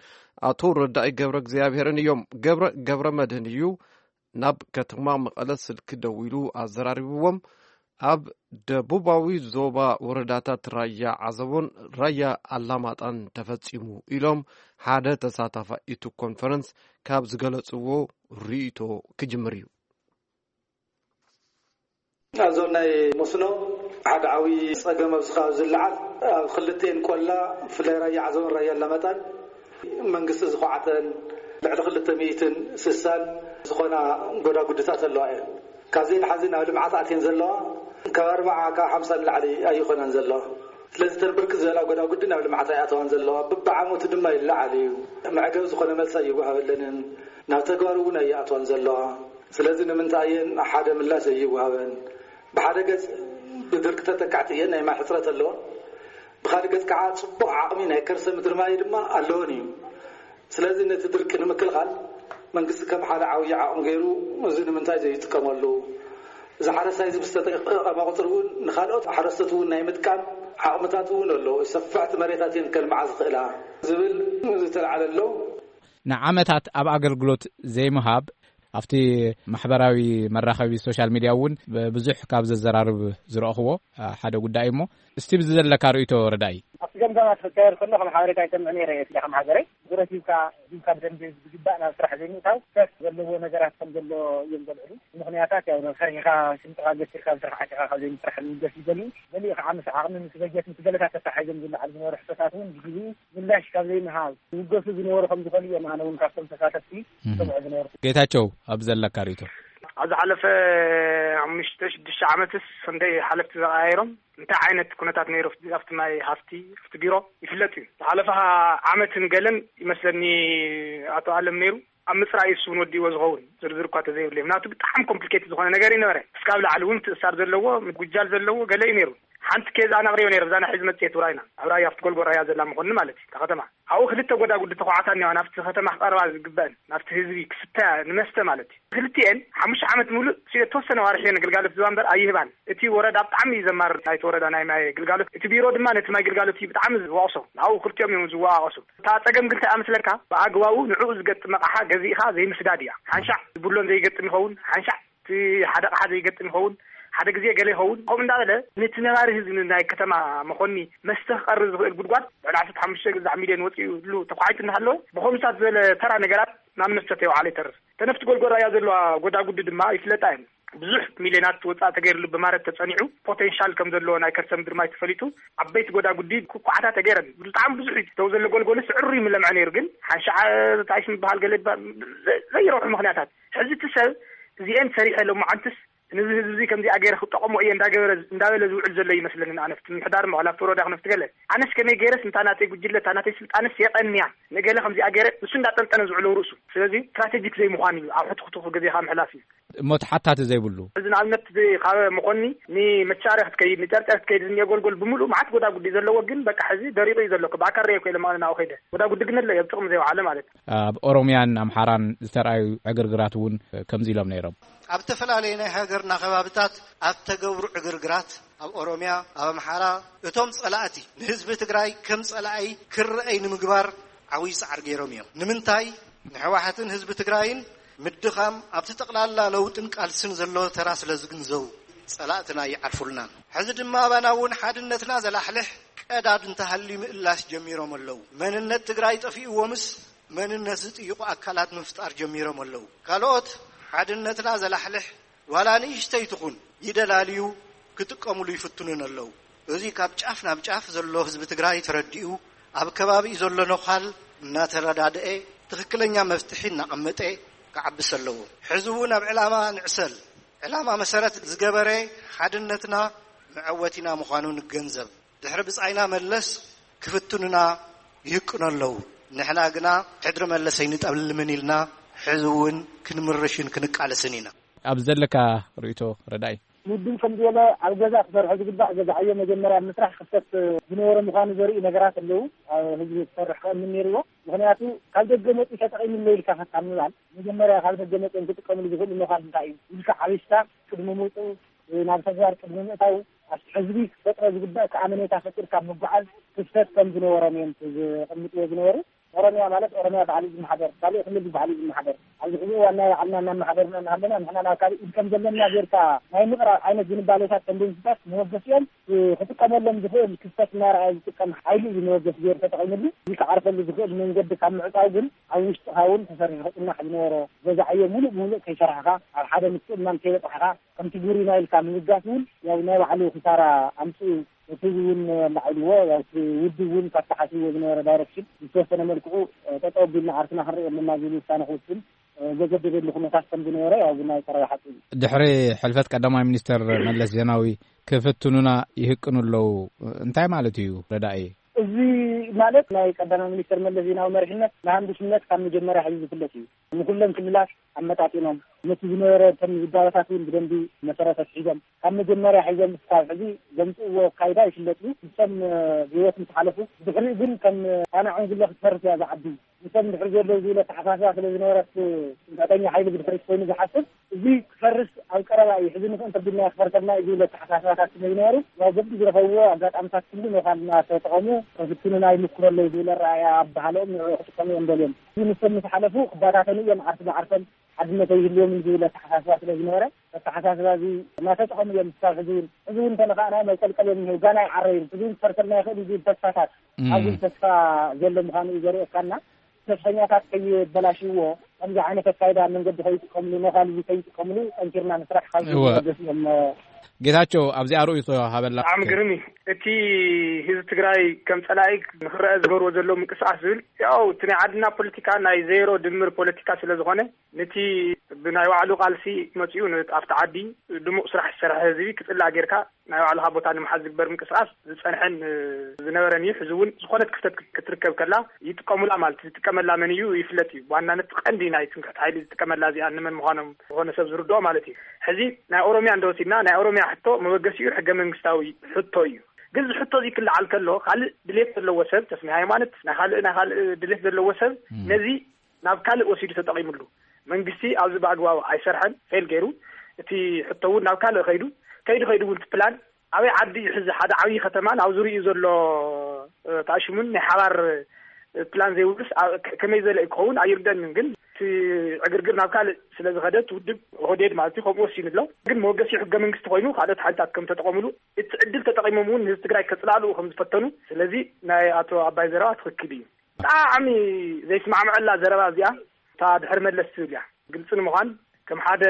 ኣቶ ረዳኢ ገብረ እግዚኣብሔርን እዮም። ገብረ ገብረ መድህን እዩ። ናብ ከተማ መቐለ ስልኪ ደዊሉ ኣዘራሪብዎም። ኣብ ደቡባዊ ዞባ ወረዳታት ራያ ዓዘቦን ራያ ኣላማጣን ተፈጺሙ ኢሎም ሓደ ተሳታፋይ እቲ ኮንፈረንስ ካብ ዝገለጽዎ ርእይቶ ክጅምር እዩ። ኣብ ዞን ናይ መስኖ ሓደ ዓብዪ ጸገም ኣብዚ ከባቢ ዝለዓል፣ ኣብ ክልቴን ቆላ፣ ብፍላይ ራያ ዓዘቦን ራያ ኣላማጣን መንግስቲ ዝኹዓተን ልዕሊ ክልተ ሚእትን ስሳን ዝኾና ጎዳጉድታት ኣለዋ እየን። ካብዘን ሓዚ ናብ ልምዓት ኣትየን ዘለዋ ካብ ኣርባዓ ካብ ሓምሳ ንላዕሊ ኣይኾናን ዘለዋ። ስለዚ እተን ብርክት ዝበላ ጎዳጉዲ ናብ ልምዓት ኣይኣተዋን ዘለዋ። ብብዓመቱ ድማ ይለዓል እዩ። መዕገብ ዝኾነ መልሲ ኣይወሃበለንን፣ ናብ ተግባር እውን ኣይኣትዋን ዘለዋ። ስለዚ ንምንታይ እየን ሓደ ምላሽ ዘይወሃበን? ብሓደ ገጽ ብድርቂ ተጠቃዕቲ እየን፣ ናይ ማይ ሕጽረት ኣለወን። ብኻልእ ገጽ ከዓ ጽቡቕ ዓቕሚ ናይ ከርሰ ምድሪ ማይ ድማ ኣለወን እዩ። ስለዚ ነቲ ድርቂ ንምክልኻል መንግስቲ ከም ሓደ ዓብዪ ዓቕሚ ገይሩ፣ እዚ ንምንታይ ዘይጥቀመሉ? እዚ ሓረስታይ እዚ ብዝተጠቐመ ቁፅሪ እውን ንኻልኦት ሓረስቶት እውን ናይ ምጥቃም ዓቕምታት እውን ኣለዎ። ሰፋሕቲ መሬታት እየን ከልምዓ ዝኽእላ ዝብል ዝተልዓለ ኣሎ። ንዓመታት ኣብ ኣገልግሎት ዘይምሃብ ኣብቲ ማሕበራዊ መራኸቢ ሶሻል ሚድያ እውን ብዙሕ ካብ ዘዘራርብ ዝረእኽዎ ሓደ ጉዳይ እሞ፣ እስቲ ብዚ ዘለካ ርእይቶ ረዳኢ። ኣብቲ ገምጋማት ክካየድ ከሎ ከም ሓበሬታ ይሰምዕ ነይረ እየ፣ ስለ ከም ሃገረይ። ብረት ሂብካ ሂብካ ብደንቢ ዝግባእ ናብ ስራሕ ዘይምእታው፣ ስሕተት ዘለዎ ነገራት ከም ዘሎ እዮም ዘልዕሉ። ምኽንያታት ያው ፈሪሕኻ ሽምጥኻ ገሲርካ ብስራሕ ዓሲኻ ካብ ዘይምስራሕ ዝምደስ ይደልዩ። ገሊኡ ከዓ ምስ ዓቕሚ ምስ በጀት ምስ ገለታት ተተሓሒዞም ዝለዓሉ ዝነበሩ ሕቶታት እውን ብግዜኡ ምላሽ ካብ ዘይምሃብ ዝውገሱ ዝነበሩ ከም ዝኾኑ እዮም ኣነ እውን ካብቶም ተሳተፍቲ ዝሰምዖ ዝነበርኩ። ጌታቸው፣ ኣብ ዘለካ ርእይቶ? ኣብ ዝሓለፈ ሓሙሽተ ሽዱሽተ ዓመትስ ክንደይ ሓለፍቲ ተቐያይሮም እንታይ ዓይነት ኩነታት ነይሩ ኣብቲ ናይ ሃፍቲ ኣብቲ ቢሮ ይፍለጥ እዩ። ዝሓለፈ ዓመትን ገለን ይመስለኒ ኣቶ ኣለም ነይሩ ኣብ ምፅራይ እሱ እውን ወዲእዎ ዝኸውን ዝርዝር እኳ ተዘይብሉ ምክንያቱ ብጣዕሚ ኮምፕሊኬት ዝኾነ ነገር ይነበረ። እስካብ ላዕሊ እውን ትእሳር ዘለዎ ምጉጃል ዘለዎ ገለ እዩ ነይሩ። ሓንቲ ኬዝ ኣነ ኣቕሪበ ነይረ ብዛና ሕዚ መፅየት ውራይና ኣብ ራያ ኣብቲ ጎልጎል ራያ ዘላ መኾኒ ማለት እዩ እታ ከተማ ኣብኡ ክልተ ጎዳጉዲ ተኳዕታ እኒዋ ናብቲ ከተማ ክቐርባ ዝግበአን ናብቲ ህዝቢ ክስተ ንመስተ ማለት እዩ። ክልቲኤን ሓሙሽተ ዓመት ሙሉእ ሲ የተወሰነ ዋርሒ እየን ግልጋሎት ዝባ እምበር ኣይህባን። እቲ ወረዳ ብጣዕሚ እዩ ዘማርር ናይቲ ወረዳ ናይ ማይ ግልጋሎት። እቲ ቢሮ ድማ ነቲ ማይ ግልጋሎት እዩ ብጣዕሚ ዝወቕሶ። ንኣብኡ ክልቲኦም እዮም ዝወቃቐሱ። እታ ፀገም ግን እንታይ እያ መስለካ ብኣግባቡ ንዕኡ ዝገጥም ኣቕሓ ገዚእኻ ዘይምስዳድ እያ። ሓንሻዕ ዝብሎን ዘይገጥም ይኸውን ሓንሻዕ እቲ ሓደ ኣቕሓ ዘይገጥም ይኸውን ሓደ ግዜ ገለ ይኸውን ከምኡ እንዳበለ ነቲ ነባሪ ህዝቢ ናይ ከተማ መኾኒ መስተ ክቐርብ ዝኽእል ጉድጓድ ልዕሊ ዓሰርተ ሓሙሽተ ግዛዕ ሚልዮን ወፂኡ ሉ ተኳሒቱ እናሃለወ ብኸምሳት ዝበለ ተራ ነገራት ናብ መስተ ተይወዓለ ይተርፍ። ተነፍቲ ጎልጎል ራያ ዘለዋ ጎዳጉዲ ድማ ይፍለጣ እየን። ብዙሕ ሚልዮናት ወፃእ ተገይርሉ ብማረት ተፀኒዑ ፖቴንሻል ከም ዘለዎ ናይ ከርሰ ምድሪ ማይ ተፈሊጡ ዓበይቲ ጎዳጉዲ ኩኳዓታ ተገይረን ብጣዕሚ ብዙሕ እዩ። ተው ዘሎ ጎልጎልስ ዕሩ ይምለምዐ ነይሩ ግን ሓንሻዓ ታይስ ምበሃል ገለ ይበሃል ዘይረብሑ ምክንያታት ሕዚ እቲ ሰብ እዚኤን ሰሪሐ ሎማዓንትስ ነዚ ህዝቢ እዚ ከምዚኣ ገይረ ክጠቐሞ እየ እንዳገበረ እንዳበለ ዝውዕል ዘሎ ይመስለኒ። ንኣነፍቲ ምሕዳር ምዕላፍቲ ወረዳ ክነፍቲ ገለ ኣነስ ከመይ ገይረስ እንታ ናተይ ጉጅለ እታ ናተይ ስልጣንስ የቐንያ ንገለ ከምዚኣ ገይረ ንሱ እንዳጠንጠነ ዝውዕለው ርእሱ ስለዚ ስትራቴጂክ ዘይምዃን እዩ ኣብ ሕትኽትኹ ግዜኻ ምሕላፍ እዩ። እሞ ተሓታቲ ዘይብሉ። እዚ ንኣብነት ካብ መኾኒ ንመቻርያ ክትከይድ ንጨርጨር ክትከይድ ዝኒኦ ጎልጎል ብምሉእ መዓት ጎዳጉዲ ዘለዎ ግን በቃ ሕዚ ደሪቑ እዩ ዘሎ። ብኣካል ርእየ ኮይለ መቐለ ናብኡ ከይደ ጎዳጉዲ ግን ኣሎ ኣብ ጥቕሚ ዘይውዓለ ማለት እዩ። ኣብ ኦሮምያን ኣምሓራን ዝተርኣዩ ዕግርግራት እውን ከምዚ ኢሎም ነይሮም። ኣብ ዝተፈላለየ ናይ ሃገርና ከባብታት ኣብ ተገብሩ ዕግርግራት ኣብ ኦሮምያ ኣብ ኣምሓራ እቶም ጸላእቲ ንህዝቢ ትግራይ ከም ጸላኣይ ክረኣይ ንምግባር ዓብዪ ጻዕሪ ገይሮም እዮም። ንምንታይ ንሕወሓትን ህዝቢ ትግራይን ምድኻም ኣብቲ ጠቕላላ ለውጥን ቃልስን ዘለዎ ተራ ስለ ዝግንዘቡ ጸላእትና ይዓርፉልናን። ሕዚ ድማ ኣባና እውን ሓድነትና ዘላሕልሕ ቀዳድ እንተሃልዩ ምእላሽ ጀሚሮም ኣለዉ። መንነት ትግራይ ጠፊእዎምስ መንነት ዝጥይቑ ኣካላት ምፍጣር ጀሚሮም ኣለዉ። ካልኦት ሓድነትና ዘላሕልሕ ዋላ ንእሽተይ ትኹን ይደላልዩ ክጥቀምሉ ይፍትኑን ኣለዉ። እዚ ካብ ጫፍ ናብ ጫፍ ዘሎ ህዝቢ ትግራይ ተረዲኡ ኣብ ከባቢኡ ዘሎ ነዃል እናተረዳድኤ ትኽክለኛ መፍትሒ እናቐመጠ ክዓብስ ኣለዎ። ሕዚ እውን ኣብ ዕላማ ንዕሰል። ዕላማ መሰረት ዝገበረ ሓድነትና መዐወቲና ምዃኑ ንገንዘብ። ድሕሪ ብጻይና መለስ ክፍትኑና ይህቅኑ ኣለዉ። ንሕና ግና ሕድሪ መለስ ኣይንጠልምን ኢልና ሕዚ እውን ክንምርሽን ክንቃለስን ኢና። ኣብ ዘለካ ርእይቶ ረዳኢ። ውድብ ከም ዝበለ ኣብ ገዛ ክሰርሖ ዝግባእ ገዛዓዮ መጀመርያ ምስራሕ ክፍተት ዝነበሮ ምዃኑ ዘርእዩ ነገራት ኣለዉ። ኣብ ህዝቢ ክሰርሕ ክእምን ነይርዎ። ምኽንያቱ ካብ ደገ መፂኡ ተጠቒምለይ ኢልካ ካብ ምባል መጀመርያ ካብ ደገ መፂኦም ክጥቀምሉ ዝኽእሉ ምዃን እንታይ እዩ ኢልካ ዓቢስካ ቅድሚ ምውፅኡ ናብ ተግባር ቅድሚ ምእታው ኣብቲ ሕዝቢ ክፈጥሮ ዝግባእ ከኣመኔታ ፈጢርካ ምጉዓዝ ክፍተት ከም ዝነበሮም እዮም ዘቐምጥዎ ዝነበሩ። ኦሮሚያ ማለት ኦሮሚያ ባዕሉ ዝመሓደር ካልእ ክልል ባዕሉ ዝመሓደር ኣብዚ ሕዚ እዋን ናይ ባዕልና እናመሓደርና እናሃለና ንሕና ናብ ካልእ ኢድ ከም ዘለና ጌርካ ናይ ምቕራብ ዓይነት ዝንባሌታት ተንደንስታት መበገሲኦም ክጥቀመሎም ዝኽእል ክፍተት እናረኣየ ዝጥቀም ሓይሊ እዩ መበገሲ ገይሩ ተጠቒምሉ። እዚ ክዓርፈሉ ዝኽእል መንገዲ ካብ ምዕፃው ግን ኣብ ውሽጥኻ እውን ተሰሪሑ ክፅናሕ ዝነበሮ ገዛዕዮ ሙሉእ ብሙሉእ ከይሰራሕኻ ኣብ ሓደ ምትእምማን ከይበፃሕኻ ከምቲ ጉሪና ኢልካ ምብጋስ እውን ያው ናይ ባዕሉ ክሳራ ኣምፅኡ። እቲ እውን ኣላዒልዎ ያው እቲ ውድብ እውን ካብ ተሓሲብዎ ዝነበረ ዳይረክሽን ዝተወሰነ መልክዑ ጠጠው ኣቢልና ዓርስና ክንርኢ ኣለና ዝብል ውሳነ ክወስን ዘገደደሉ ኩነታት ከም ዝነበረ ያው ናይ ቀረባ ሓቂ እዩ። ድሕሪ ሕልፈት ቀዳማይ ሚኒስተር መለስ ዜናዊ ክፍትኑና ይህቅኑ ኣለዉ እንታይ ማለት እዩ ረዳኢ? እዚ ማለት ናይ ቀዳማይ ሚኒስተር መለስ ዜናዊ መሪሕነት ንሃንዱሽነት ካብ መጀመርያ ሕዚ ዝፍለጥ እዩ። ንኩለን ክልላት ኣመጣጢኖም ነቲ ዝነበረ ከም ዝባበታት እውን ብደንቢ መሰረት ኣትሒዞም ካብ መጀመርያ ሒዞም ክሳብ ሕዚ ዘምፅእዎ ኣካይዳ ይፍለጥ እዩ። ንሶም ብህይወት ምስ ሓለፉ ብድሕሪኡ ግን ከም ጣና ዕንጉሎ ክትፈርስ እያ ዝዓቢ። ንሶም ድሕሪ ዘለዉ ዝብል ኣተሓሳስባ ስለ ዝነበረ እቲ ፅንቀተኛ ሓይሊ ብድሕሪት ኮይኑ ዝሓስብ እዚ ክፈርስ ኣብ ቀረባ እዩ ሕዚ ንክእን ተቢልና ክፈርሰልና እዩ ዝብል ኣተሓሳስባታት ስለ ዝነበሩ ናብ በቢ ዝረኸብዎ ኣጋጣምታት ኩሉ ነኻልና ተጠቐሙ ከፍትኑና ይምክሩ ኣለዉ ዝብል ኣረኣእያ ኣብ ባህሎም ንዕኡ ክጥቀሙ እዮም ደልዮም። እዚ ንሶም ምስ ሓለፉ ክባታተኑ እዮም ዓርሲ ብዓርሶም ሓድነት ኣይህልዎምን ዝብል ኣተሓሳስባ ስለ ዝነበረ ኣተሓሳስባ እዚ እናተጠቐሙ እዮም ክሳብ ሕዚ እውን ሕዚ እውን እንተነኻእናዮም ኣይቀልቀል እዮም እኒሄው ጋና ኣይዓረዩን ሕዚ እውን ክፈርሰልና ይኽእል እዩ ዝብል ተስፋታት ኣብዚ ተስፋ ዘሎ ምዃኑ እዩ ዘርእየካና። ሰልፈኛታት ከይበላሽዎ፣ ከምዚ ዓይነት ኣካይዳ መንገዲ ከይጥቀምሉ፣ ነኻልቢ ከይጥቀምሉ ጠንኪርና ንስራሕ ካብ እወ። ዝገደስ እዮም። ጌታቸው፣ ኣብዚኣ ርእይቶ ሃበላ። ብጣዕሚ ግርም እዩ። እቲ ህዝቢ ትግራይ ከም ጸላኢ ንኽረአ ዝገብርዎ ዘለዉ ምንቅስቃስ ዝብል፣ ያው እቲ ናይ ዓድና ፖለቲካ ናይ ዜሮ ድምር ፖለቲካ ስለ ዝኾነ፣ ነቲ ብናይ ባዕሉ ቃልሲ መጺኡ ን-፣ ኣብቲ ዓዲ ድሙቕ ስራሕ ዝሰርሐ ህዝቢ ክጽላእ ጌርካ ናይ ባዕልኻ ቦታ ንምሓዝ ዝግበር ምንቅስቃስ ዝጸንሐን፣ እ፣ ዝነበረን እዩ። ሕዚ እውን ዝኾነት ክፍተት ክት-፣ ክትርከብ ከላ ይጥቀሙላ ማለት እዩ። ዝጥቀመላ መን እዩ ይፍለጥ እዩ። ብዋናነት ቀንዲ ናይ ትምክሕቲ ሓይሊ ዝጥቀመላ እዚኣ ንመን ምዃኖም ዝኾነ ሰብ ዝርድኦ ማለት እዩ። ሕዚ ናይ ኦሮሚያ እንተወሲድና ናይ ኦሮሚያ ሕቶ መበገሲኡ ሕገ መንግስታዊ ሕቶ እዩ። ግን እዚ ሕቶ እዚ ክለዓል ከሎ ካልእ ድሌት ዘለዎ ሰብ፣ ተስሚ ሃይማኖት ናይ ካልእ፣ ናይ ካልእ ድሌት ዘለዎ ሰብ እም። ነዚ ናብ ካልእ ወሲዱ ተጠቒምሉ። መንግስቲ ኣብዚ ብኣግባቡ ኣይሰርሐን፣ ፌል ገይሩ። እቲ ሕቶ እውን ናብ ካልእ ከይዱ፣ ከይዱ፣ ከይዱ እውን እቲ ፕላን ኣበይ ዓዲ እዩ ሕዚ ሓደ ዓብዪ ከተማን ኣብ ዙሪኡ ዘሎ፣ እ፣ ተኣሽሙን ናይ ሓባር፣ እ፣ ፕላን ዘይብሉስ ኣብ ከ-፣ ከመይ ዘለ ክኸውን ኣይርደንን። ግን እቲ ዕግርግር ናብ ካልእ ስለ ዝኸደ እቲ ውድብ ኦህዴድ ማለት እዩ ከምኡ ወሲኑ ኣሎ። ግን መወገሲ ሕገ መንግስቲ ኮይኑ ካልኦት ሓይልታት ከም ተጠቐሙሉ እቲ ዕድል ተጠቒሞም እውን ንህዝቢ ትግራይ ከጽላልኡ ከም ዝፈተኑ። ስለዚ ናይ ኣቶ ኣባይ ዘረባ ትኽክል እዩ። ብጣዕሚ ዘይስማዕምዐላ ዘረባ እዚኣ እታ ድሕሪ መለስ ትብል እያ። ግልፂ ንምዃን ከም ሓደ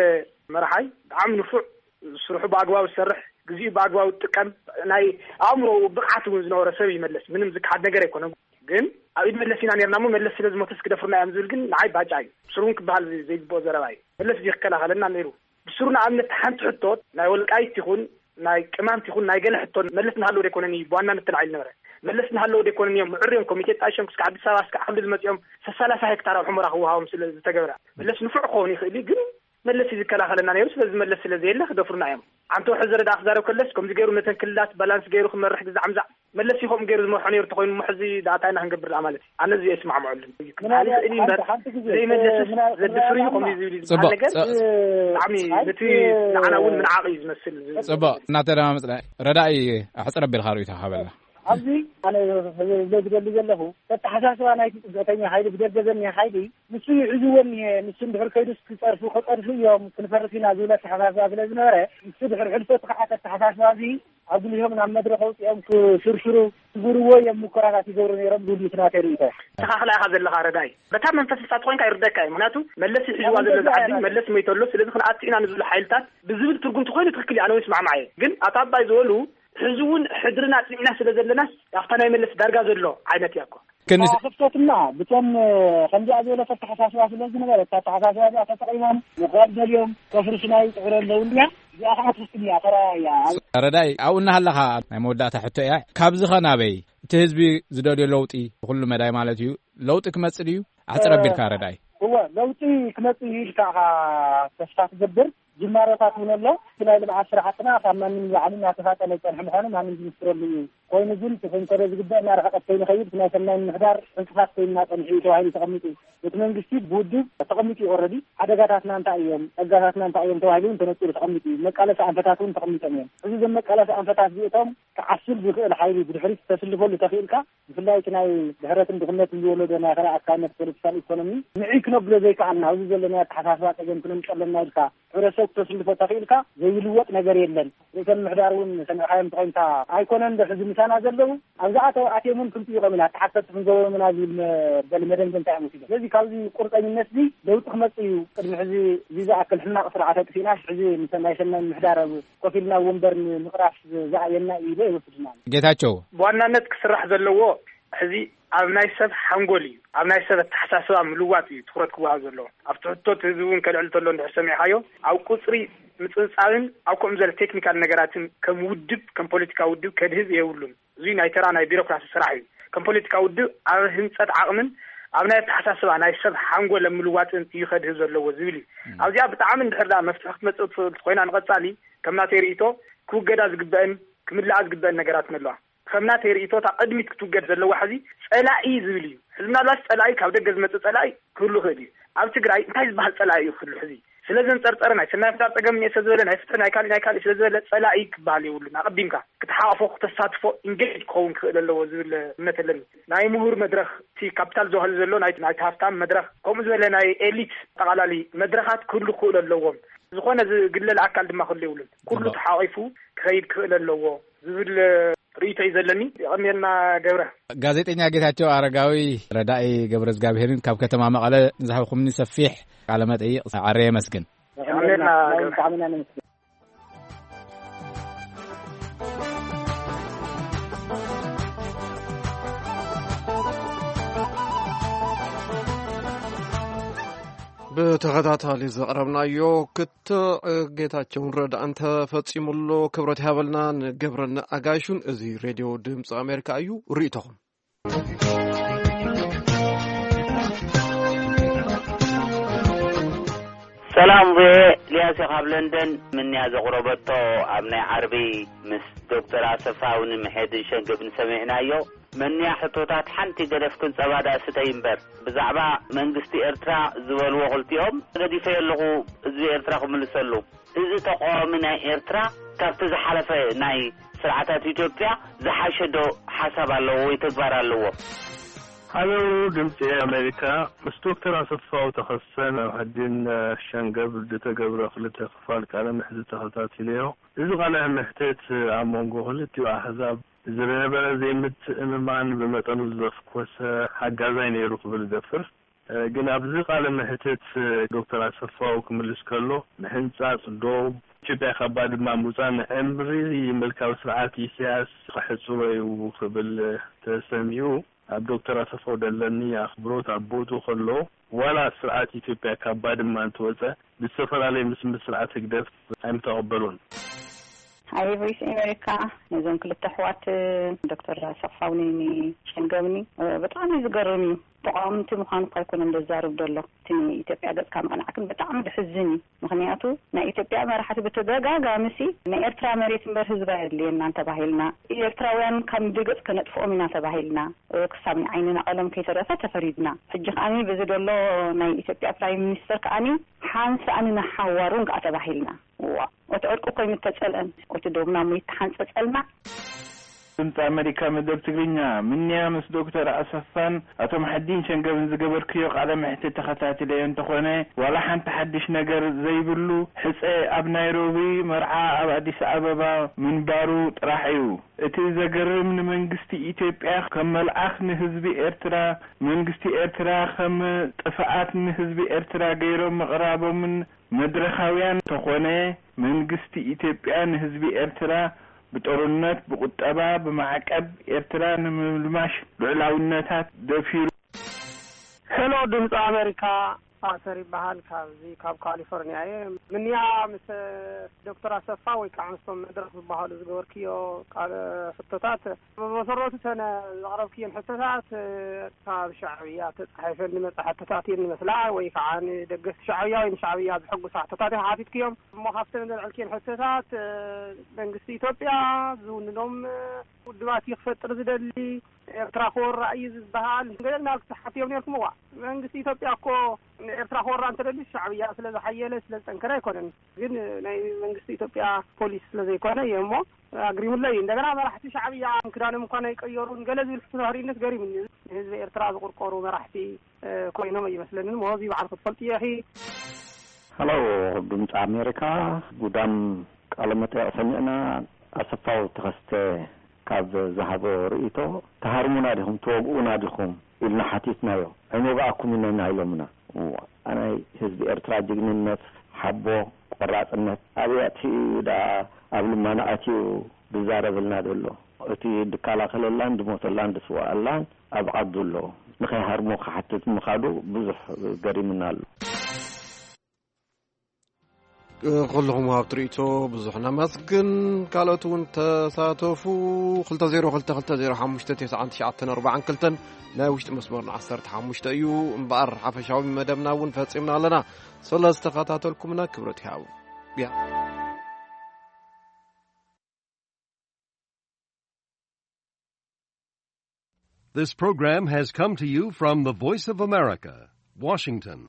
መራሓይ ብጣዕሚ ንፉዕ፣ ስርሑ ብኣግባቡ ዝሰርሕ፣ ግዜኡ ብኣግባቡ ዝጥቀም፣ ናይ ኣእምሮ ብቕዓት እውን ዝነበሮ ሰብ እዩ መለስ። ምንም ዝከሓድ ነገር ኣይኮነን። ግን ኣብ ኢድ መለስ ኢና ነርና እሞ መለስ ስለ ዝሞተስ ክደፍሩና እዮም ዝብል ግን ንዓይ ባጫ እዩ። ብስሩ እውን ክበሃል ዘይ-፣ ዘይግብኦ ዘረባ እዩ። መለስ እዚ ክከላኸለና ነይሩ። ብስሩ ንኣብነት ሓንቲ ሕቶ ናይ ወልቃይት ይኹን ናይ ቅማንት ይኹን ናይ ገለ ሕቶ መለስ እናሃለወ ደይኮነን እዩ ብዋናነት ተላዒሉ ነበረ። መለስ እናሃለወ ደይኮነን እዮም ምዕርዮም ኮሚቴ ጣይሾም ክስካ ኣዲስ ኣበባ እስካ ዓቕሊ ዝመፅኦም ሰላሳ ሄክታር ኣብ ሑመራ ክወሃቦም ስለ ዝተገበረ። መለስ ንፉዕ ክኸውን ይኽእል እዩ፣ ግን መለስ እዩ ዝከላኸለና ነይሩ። ስለዚ መለስ ስለ ዘየለ ክደፍሩና እዮም። ኣንተ ሕዚ ረዳ ክዛረብ ከለስ ከምዚ ገይሩ ነተን ክልላት ባላንስ ገይሩ ክመርሕ ግዛዕ ምዛዕ መለስ ይኸም ገይሩ ዝመርሖ ነይሩ ተኾይኑ እሞ ሕዚ ደኣ እንታይ ኢና ክንገብር ደኣ ማለት እዩ? ኣነ እዚ ኣይስማዕምዐሉን። ምናልባት ኣይኽእል እዩ እምበር ሓንቲ፣ ሓንቲ ግዜ፣ ዘይመለስስ ምና-፣ ዘድፍር እዩ ምናልባት ከምዚ ዝብል እዩ ጽቡቕ፣ ዝበሃል ነገር ጽ-፣ ብጣዕሚ ኣይ፣ ነቲ እ-፣ ንዓና እውን ምንዓቕ እዩ ዝመስል። ጽቡቕ፣ እናተደማመጽና ረዳኢ ኣሕጽር ኣቢልካ ርእይቶ ሃበልና። ኣብዚ ኣነ ዝደሊ ዘለኹ፣ ኣተሓሳስባ ናይቲ ጽግዕተኛ ሓይሊ፣ ብደገ ዘኒ ሓይሊ፣ ንሱ ይሕዝዎ እኒሀ፣ ንሱ እንድሕር ከይዱስ ክጸርፉ፣ ከጸርፉ እዮም፣ ክንፈርስ ኢና ዝብል ኣተሓሳስባ ስለ ዝነበረ፣ ንሱ ድሕሪ ሕልፈቱ ከዓ ኣተሓሳስባ እዚ ኣጉሊሆም ናብ መድረኽ ኣውፂኦም ክስርሽሩ፣ ክዝርዎ እዮም ሙከራታት ይገብሩ ነይሮም ዝብል እቲ ናተይ ርእይቶ። ተኻኽላ ኢኻ ዘለኻ ረዳይ። በታ መንፈስ ንሳ ተኾይንካ ይርደካ እዩ። ምክንያቱ መለስ እዩ ሒዝዋ ዘሎ እዛ ዓዲ፣ መለስ መይቶ ኣሎ፣ ስለዚ ክንኣቱ ኢና ንዝብሉ ሓይልታት ብዝብል ትርጉም ተኾይኑ ትኽክል እዩ፣ ኣነ እውን ይስማዕማዕ እየ። ግን ኣቶ ኣባይ ዝበሉ ሕዚ እውን ሕድርና ኣጽኒዕና ስለ ዘለናስ ኣብታ ናይ መለስ ዳርጋ ዘሎ ዓይነት እያ እኮ። ክንስ- ክፍተትና ብቶም ከምዚኣ ዝበለት ኣተሓሳስባ ስለ ዝነበረ፣ እታ ኣተሓሳስባ እዚኣ ተጠቒሞም ምኽባል ደልዮም ከፍርሱና ይጽዕሩ ኣለዉ እንድያ። እዚኣ ከዓ ትኽክል እያ፣ ተራእያ እያ። ረዳይ፣ ኣብኡ እናሃለኻ ናይ መወዳእታ ሕቶ እያ። ካብዚ ኸ ናበይ? እቲ ህዝቢ ዝደልዮ ለውጢ ብኹሉ መዳይ ማለት እዩ። ለውጢ ክመጽእ ድዩ? ኣሕጽር ኣቢልካ ረዳይ። እወ፣ ለውጢ ክመጽእ እዩ ኢልካ ኢኻ ተስፋ ትገብር። ጅማሮታት እውን ኣሎ። እቲ ናይ ልምዓት ስራሕትና ካብ ማንም ንላዕሊ እናተፋጠነ ዝጸንሐ ምዃኑ ማንም ዝምስክረሉ እዩ። ኮይኑ ግን እቲ ክንከዶ ዝግበአና ርሕቀት ከይንኸይድ እቲ ናይ ሰናይ ምምሕዳር ዕንቅፋት ኮይንና ጸኒሑ እዩ ተባሂሉ ተቐሚጡ። እቲ መንግስቲ ብውድብ ተቐሚጡ እዩ ኦልረዲ። ሓደጋታትና እንታይ እዮም፣ ጸጋታትና እንታይ እዮም ተባሂሉ እውን ተነጺሩ ተቐሚጡ እዩ። መቃለሲ ኣንፈታት እውን ተቐሚጦም እዮም። እዚ እዞም መቃለሲ ኣንፈታት እዚእቶም ክዓስል ዝኽእል ሓይሊ ብድሕሪት ተስልፈሉ ተኽኢልካ፣ ብፍላይ እቲ ናይ ድሕረትን ድኽነትን ዝወለዶ ናይ ክልኣካነት ፖለቲካል ኢኮኖሚ ንዕይ ክነብሎ ዘይከኣልና፣ ኣብዚ ዘሎ ናይ ኣተሓሳስባ ጸገም ክነምጸለና ኢልካ ሕብረተሰብ ክተስልፎ ተኽኢልካ ዘይልወጥ ነገር የለን። ርእሰ ምምሕዳር እውን ሰሚዕካዮም ተኾይንካ ኣይኮነን ዶ ሕዚ ምሳና ዘለዉ? ኣብዛ ኣተው ኣትዮም እውን ክንጥይቖም ኢና፣ ተሓተቲ ክንገብሮም ኢና ዝብል መበሊ መደምደምታ እዮም ወሲዶም። ስለዚ ካብዚ ቁርጠኝነት እዚ ለውጢ ክመጽእ እዩ። ቅድሚ ሕዚ እዚ ዝኣክል ሕማቕ ስርዓት ኣጥፊእናስ ሕዚ ምስ ናይ ሰናይ ምምሕዳር ኣብ ኮፍ ኢልና ወንበር ንምቕራፍ ዝኣየና እዩ ኢለ ይወስድና። ጌታቸው። ብዋናነት ክስራሕ ዘለዎ ሕዚ ኣብ ናይ ሰብ ሓንጎል እዩ፣ ኣብ ናይ ሰብ ኣተሓሳስባ ምልዋጥ እዩ ትኹረት ክወሃብ ዘለዎ። ኣብ ትሕቶ እቲ ህዝቢ እውን ከልዕል ተሎ እንድሕር ሰሚዕካዮ፣ ኣብ ቁፅሪ ምፅብፃብን ኣብ ከምኡ ዝበለ ቴክኒካል ነገራትን ከም ውድብ፣ ከም ፖለቲካ ውድብ ከድህብ የብሉን። እዙይ ናይ ተራ ናይ ቢሮክራሲ ስራሕ እዩ። ከም ፖለቲካ ውድብ ኣብ ህንፀት ዓቕምን ኣብ ናይ ኣተሓሳስባ ናይ ሰብ ሓንጎል ኣብ ምልዋጥን እዩ ከድህብ ዘለዎ ዝብል እዩ። እም። ኣብዚኣ ብጣዕሚ እንድሕር ደኣ መፍትሒ ክትመፅእ ትኽእል ኮይና ንቐፃሊ ከም ናተይ ርእይቶ ክውገዳ ዝግበአን ክምልኣ ዝግበአን ነገራትን ኣለዋ። ከም ናተይ ርእይቶ እታ ቅድሚት ክትውገድ ዘለዋ ሕዚ ጸላኢ ዝብል እዩ። ሕዚ ምናልባት ጸላኢ ካብ ደገ ዝመጽእ ጸላኢ ክህሉ ይኽእል እዩ። ኣብ ትግራይ እንታይ ዝበሃል ጸላኢ እዩ ክህሉ? ሕዚ ስለ ዘንጸርጸረ ናይ ሰናይ ምሕዳር ጸገም እኒአ ስለ ዝበለ ናይ ፍትሒ ናይ ካሊእ ናይ ካሊእ ስለ ዝበለ ጸላኢ ክበሃል የብሉን። ኣቐዲምካ ክትሓቕፎ ክተሳትፎ ኢንጌጅ ክኸውን ክኽእል ኣለዎ ዝብል እምነት ኣለኒ። ናይ ምሁር መድረኽ እቲ ካፒታል ዝባህሉ ዘሎ ናይ ናይቲ ሃፍታም መድረኽ ከምኡ ዝበለ ናይ ኤሊት ኣጠቓላሊ መድረኻት ክህሉ ክኽእሉ ኣለዎም። ዝኾነ ዝግለል ኣካል ድማ ክህሉ የብሉን። ኩሉ ተሓቒፉ ክኸይድ ክኽእል ኣለዎ ዝብል ርእይቶ እዩ ዘለኒ። የቐንየልና ገብረ። ጋዜጠኛ ጌታቸው ኣረጋዊ፣ ረዳኢ ገብረ እግዚኣብሄርን ካብ ከተማ መቐለ ንዝሃብኩምኒ ሰፊሕ ቃለ መጠይቕ ኣረ የመስግን። የቐንየልና ገብረ። ብተኸታታሊ ዘቕረብናዮ ክትዕ ጌታቸውን ረዳእን ተፈጺሙ ኣሎ። ክብረት ይሃበልና ንገብረን ኣጋይሹን። እዚ ሬድዮ ድምፂ ኣሜሪካ እዩ። ርእይቶኹም። ሰላም ቪኦኤ፣ ልያሴ ካብ ለንደን። ምንያ ዘቕረበቶ ኣብ ናይ ዓርቢ ምስ ዶክተር ኣሰፋ እውን ምሕድን ሸንገብን ሰሚዕናዮ። መንያ ሕቶታት ሓንቲ ገደፍ ክንጸባ ደኣ ስተይ እምበር፣ ብዛዕባ መንግስቲ ኤርትራ ዝበልዎ ክልቲኦም ገዲፈዮ ኣለኹ ህዝቢ ኤርትራ ክምልሰሉ። እዚ ተቃዋሚ ናይ ኤርትራ ካብቲ ዝሓለፈ ናይ ስርዓታት ኢትዮጵያ ዝሓሸ ዶ ሓሳብ ኣለዎ ወይ ተግባር ኣለዎ? ሃለው ድምፂ ኣሜሪካ፣ ምስ ዶክተር ኣሰፋው ተኸሰን ኣብ ሕድን ሸንገብ ዝተገብረ ክልተ ክፋል ቃለ ምሕትት ተኸታቲለዮ። እዚ ቃለ ምሕትት ኣብ መንጎ ክልቲኡ ኣሕዛብ ዝነበረ ዘይምትእምማን ብመጠኑ ዘፍኮሰ ሓጋዛይ ነይሩ ክብል እደፍር። ግን ኣብዚ ቃለ ምሕትት ዶክተር ኣሰፋው ክምልስ ከሎ፣ ምሕንጻጽ ዶብ ኢትዮጵያ ካብ ባድማ ምውጻእ ንዕምሪ ምልካዊ ስርዓት ኢሳያስ ክሕጽሮ እዩ ክብል ተሰሚዑ። ኣብ ዶክተር ኣሰፋው ደለኒ ኣኽብሮት ኣብ ቦትኡ ከሎ፣ ዋላ ስርዓት ኢትዮጵያ ካብ ባድማ እንትወጸ ብዝተፈላለየ ምስምስ ስርዓት ህግደፍ ኣይምተቐበሉን። ሃይ ቮይስ ኣሜሪካ፣ ነዞም ክልተ ኣሕዋት ዶክተር ኣሰፋውኒ ሸንገብኒ ብጣዕሚ እዩ ዝገርም እዩ። ተቃወምቲ ምዃኑ እኳ ኣይኮነን ዘዛርብ ዘሎ። እቲ ንኢትዮጵያ ገጽካ ምቕናዕ ግን ብጣዕሚ ድሕዝን እዩ። ምኽንያቱ ናይ ኢትዮጵያ መራሕቲ ብተደጋጋሚ ሲ ናይ ኤርትራ መሬት እምበር ህዝባ የድልየናን ተባሂልና፣ ኤርትራውያን ካብ ምድሪ ገጽ ከነጥፍኦም ኢና ተባሂልና፣ ክሳብ ንዓይንና ቀለም ከይተረፈ ተፈሪድና። ሕጂ ከኣኒ በዚ ዘሎ ናይ ኢትዮጵያ ፕራይም ሚኒስተር ከኣኒ ሓንሳእኒ ንሓዋሩን ከኣ ተባሂልና። ዋ፣ እቲ ዕርቂ እኮ ይምተጸልአን፣ እቲ ዶብና እሞ ይተሓንጸጸልና። ድምፂ ኣሜሪካ መደብ ትግርኛ፣ ምንያ ምስ ዶክተር ኣሰፋን ኣቶ መሐዲን ሸንገብን ዝገበርክዮ ቃለ መሕትት ተኸታቲለዮ እንተኾነ፣ ዋላ ሓንቲ ሓድሽ ነገር ዘይብሉ ሕፀ ኣብ ናይሮቢ፣ መርዓ ኣብ ኣዲስ ኣበባ ምንባሩ ጥራሕ እዩ። እቲ ዘገርም ንመንግስቲ ኢትዮጵያ ከም መልኣኽ ንህዝቢ ኤርትራ፣ መንግስቲ ኤርትራ ከም ጥፍኣት ንህዝቢ ኤርትራ ገይሮም ምቕራቦምን መድረኻውያን ተኾነ፣ መንግስቲ ኢትዮጵያ ንህዝቢ ኤርትራ ብጦርነት፣ ብቁጠባ፣ ብማዕቀብ ኤርትራ ንምምልማሽ ልዑላውነታት ደፊሩ። ሄሎ ድምፂ ኣሜሪካ፣ ኣሰር ይበሃል። ካብዚ ካብ ካሊፎርኒያ እየ። ምንያ ምስ ዶክተር ኣሰፋ ወይ ከዓ ምስቶም መድረኽ ዝበሃሉ ዝገበርክዮ ቃለ ሕቶታት፣ ብመሰረቱ እተን ዘቕረብክየን ሕቶታት ካብ ሻዕብያ ተፃሒፈን ዝመፃ ሕቶታት እየን ዝመስላ፣ ወይ ከዓ ንደገፍቲ ሻዕብያ ወይ ንሻዕብያ ዝሕጉሳ ሕቶታት ኢኻ ሓቲትክዮም። እሞ ካብተን ዘልዐልክየን ሕቶታት፣ መንግስቲ ኢትዮጵያ ዝውንኖም ውድባት እዩ ክፈጥር ዝደሊ፣ ኤርትራ ክወራ እዩ ዝበሃል ገለ እናበልኩም ትሓትዮም ነርኩም። እዋ መንግስቲ ኢትዮጵያ እኮ ንኤርትራ ክወራ እንተደልዩ ሻዕብያ ስለ ዝሓየለ ስለ ዝጠንከረ ኣይኮነን። ግን ናይ መንግስቲ ኢትዮጵያ ፖሊሲ ስለ ዘይኮነ እየ እሞ ኣግሪምለይ። እንደገና መራሕቲ ሻዕብያ ክዳኖም እንኳን ኣይቀየሩን ገለ ዝብል ሕቶ ተኽሪነት ገሪምኒ። ንህዝቢ ኤርትራ ዝቁርቆሩ መራሕቲ ኮይኖም ኣይመስለንን። እሞ እዚ ባዕልኩ ትፈልጥዮ ኢኺ። ሀሎ ድምፂ ኣሜሪካ፣ ጉዳም ቃለ መጠይቕ ሰሚዕና። ኣሰፋው ተኸስተ ካብ ዝሃቦ ርእይቶ፣ "ትሃርሙና ዲኹም ትወግኡና ዲኹም?" ኢልና ሓቲትናዮ። "ኣይንወግኣኩምን ኢና" ኢሎምና። እዋ፣ ናይ ህዝቢ ኤርትራ ጅግንነት፣ ሓቦ፣ ቆራጽነት ኣበይ ኣጥፊኡ ደኣ ኣብ ልማና ኣትዩ ዝዛረበልና ዘሎ? እቲ ድከላኸለላን ድሞተላን ድስዋኣላን ኣብ ዓዱ ኣሎ። ንኸይሃርሞ ክሓትት ምኻዱ ብዙሕ ገሪምና ኣሎ። ኩልኹም ወሃብቲ ርእይቶ ብዙሕ ነመስግን። ካልኦት እውን ተሳተፉ። ክልተ ዜሮ ክልተ ክልተ ዜሮ ሓሙሽተ ተስዓን ትሽዓተን ኣርባዓን ክልተን ናይ ውሽጢ መስመርና ዓሰርተ ሓሙሽተ እዩ። እምበኣር ሓፈሻዊ መደብና እውን ፈጺምና ኣለና። ስለ ዝተኸታተልኩምና ክብረት ይሃቡ። ያ። This program has come to you from the Voice of America, Washington.